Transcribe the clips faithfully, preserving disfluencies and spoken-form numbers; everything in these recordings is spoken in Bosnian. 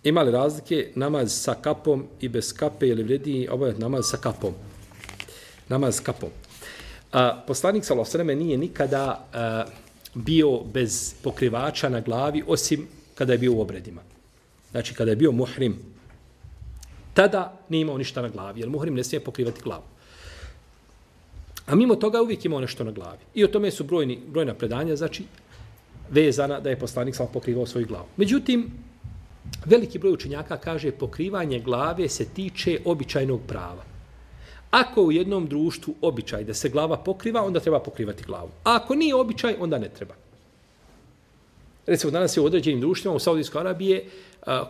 Ima li razlike namaz sa kapom i bez kape ili vredi ovaj namaz sa kapom? Namaz sa kapom. A, poslanik sallallahu alejhi ve sellem nije nikada a, bio bez pokrivača na glavi osim kada je bio u obredima. Znači kada je bio muhrim, tada nije imao ništa na glavi, jer muhrim ne smije pokrivati glavu. A mimo toga uvijek imao nešto na glavi. I o tome su brojni, brojna predanja, znači vezana da je poslanik sallallahu pokrivao svoju glavu. Međutim, veliki broj učenjaka kaže pokrivanje glave se tiče običajnog prava. Ako u jednom društvu običaj da se glava pokriva, onda treba pokrivati glavu. A ako nije običaj, onda ne treba. Recimo, danas je u određenim društvima u Saudijskoj Arabije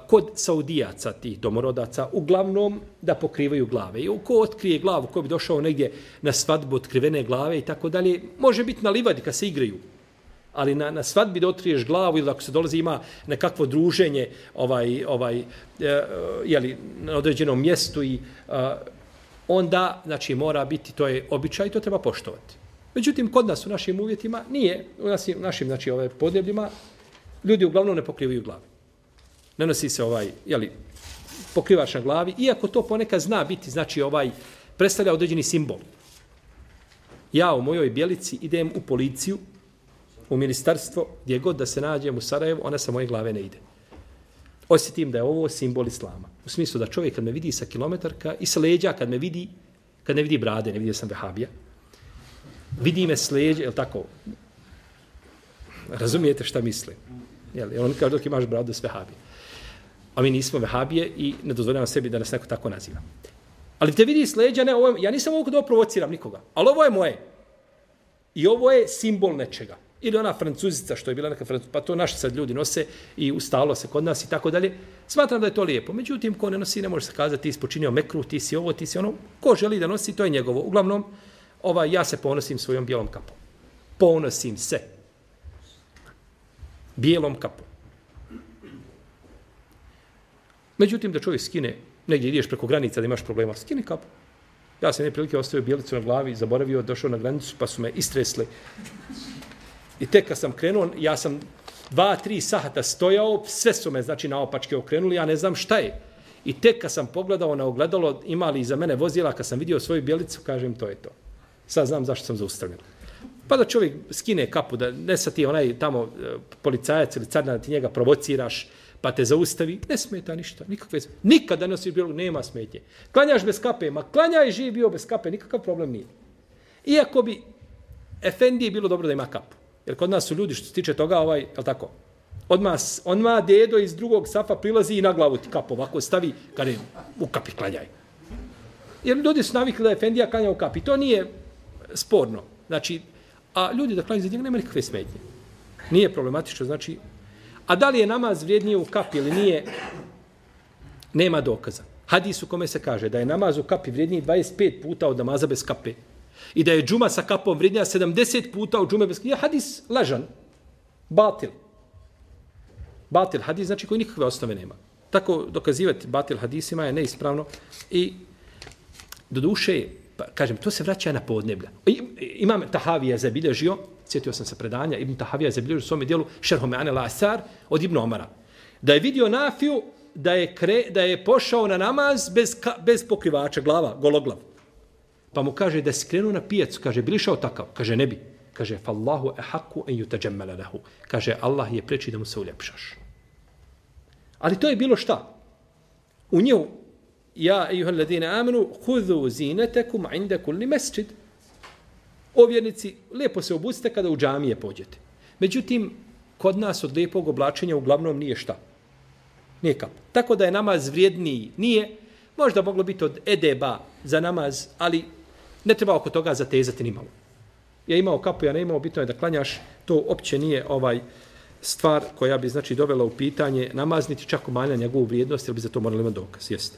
kod Saudijaca, tih domorodaca, uglavnom da pokrivaju glave. I ko otkrije glavu, ko bi došao negdje na svadbu otkrivene glave i tako dalje, može biti na livadi kad se igraju. Ali na, na svadbi da otkriješ glavu ili ako se dolazi ima nekakvo druženje ovaj, ovaj, e, jeli, na određenom mjestu i a, onda znači, mora biti, to je običaj i to treba poštovati. Međutim, kod nas u našim uvjetima nije, u našim, našim znači, ove podnebljima, ljudi uglavnom ne pokrivaju glavu. Ne nosi se ovaj, jeli, pokrivač na glavi, iako to ponekad zna biti, znači ovaj, predstavlja određeni simbol. Ja u mojoj Bjelici idem u policiju, u ministarstvo, gdje god da se nađem u Sarajevu, ona sa moje glave ne ide. Osjetim da je ovo simbol islama. U smislu da čovjek kad me vidi sa kilometarka i sa leđa, kad me vidi, kad ne vidi brade, ne vidio sam vehabija, vidi me s leđa, je li tako? Razumijete šta mislim? Jel, on kaže dok imaš bradu s vehabije. A mi nismo vehabije i ne dozvoljavam sebi da nas neko tako naziva. Ali te vidi s leđa, ne, ovo je, ja nisam ovog da provociram nikoga, ali ovo je moje. I ovo je simbol nečega. Ili ona francuzica što je bila neka francuzica, pa to naši sad ljudi nose i ustalo se kod nas i tako dalje. Smatram da je to lijepo. Međutim, ko ne nosi, ne može se kazati ti si počinio mekru, ti si ovo, ti si ono. Ko želi da nosi, to je njegovo. Uglavnom, ovaj, ja se ponosim svojom bijelom kapom. Ponosim se. Bijelom kapom. Međutim, da čovjek skine, negdje ideš preko granica da imaš problema, skini kapu. Ja sam neprilike ostavio bijelicu na glavi, zaboravio, došao na granicu, pa su me istresli. I tek kad sam krenuo, ja sam dva, tri sahata stojao, sve su me, znači, naopačke okrenuli, ja ne znam šta je. I tek kad sam pogledao na ogledalo, imali iza mene vozila, kad sam vidio svoju bijelicu, kažem, to je to. Sad znam zašto sam zaustavljen. Pa da čovjek skine kapu, da ne sa ti onaj tamo policajac ili carina, da ti njega provociraš, pa te zaustavi, ne smeta ništa, nikakve, nikada nosiš bijelu, nema smetje. Klanjaš bez kape, ma klanjaj živ bio bez kape, nikakav problem nije. Iako bi efendiji bilo dobro da ima kapu. Jer kod nas su ljudi što se tiče toga, ovaj, je li tako? Odmah, odmah dedo iz drugog safa prilazi i na glavu ti kapu ovako stavi, kada je u kapi klanjaj. Jer ljudi su navikli da efendija klanja u kapi. To nije sporno. Znači, a ljudi da klanjaju za njega nema nikakve smetnje. Nije problematično, znači. A da li je namaz vrijednije u kapi ili nije, nema dokaza. Hadis u kome se kaže da je namaz u kapi vrijedniji dvadeset pet puta od namaza bez kape. I da je džuma sa kapom vrijednija sedamdeset puta od džume bez kape. Je hadis lažan. Batil. Batil hadis znači koji nikakve osnove nema. Tako dokazivati batil hadisima je neispravno. I do duše, pa, kažem, to se vraća na podneblja. Imam Tahavija zabilježio, sjetio sam se predanja, Ibn Tahavija zabilježio u svome dijelu Šerhu Me'ane L'Asar od Ibn Omara. Da je vidio Nafiju da je, kre, da je pošao na namaz bez, ka, bez pokrivača, glava, gologlav. Pa mu kaže da si krenuo na pijacu, kaže, bi li šao takav? Kaže, ne bi. Kaže, fallahu ehaku en yutajammala lahu. Kaže, Allah je preči da mu se uljepšaš. Ali to je bilo šta? U nju, ja, ejuhel ladine amenu, hudhu zinetekum inda kulli mesčid. O vjernici, lijepo se obucite kada u džamije pođete. Međutim, kod nas od lijepog oblačenja uglavnom nije šta? Nije kap. Tako da je namaz vrijedniji. Nije. Možda moglo biti od edeba za namaz, ali ne treba oko toga zatezati ni malo. Ja imao kapu, ja ne imao, bitno je da klanjaš. To opće nije ovaj stvar koja bi znači dovela u pitanje namaz, niti čak umanjila njegovu vrijednost, jer bi za to morali imati dokaz. Jeste.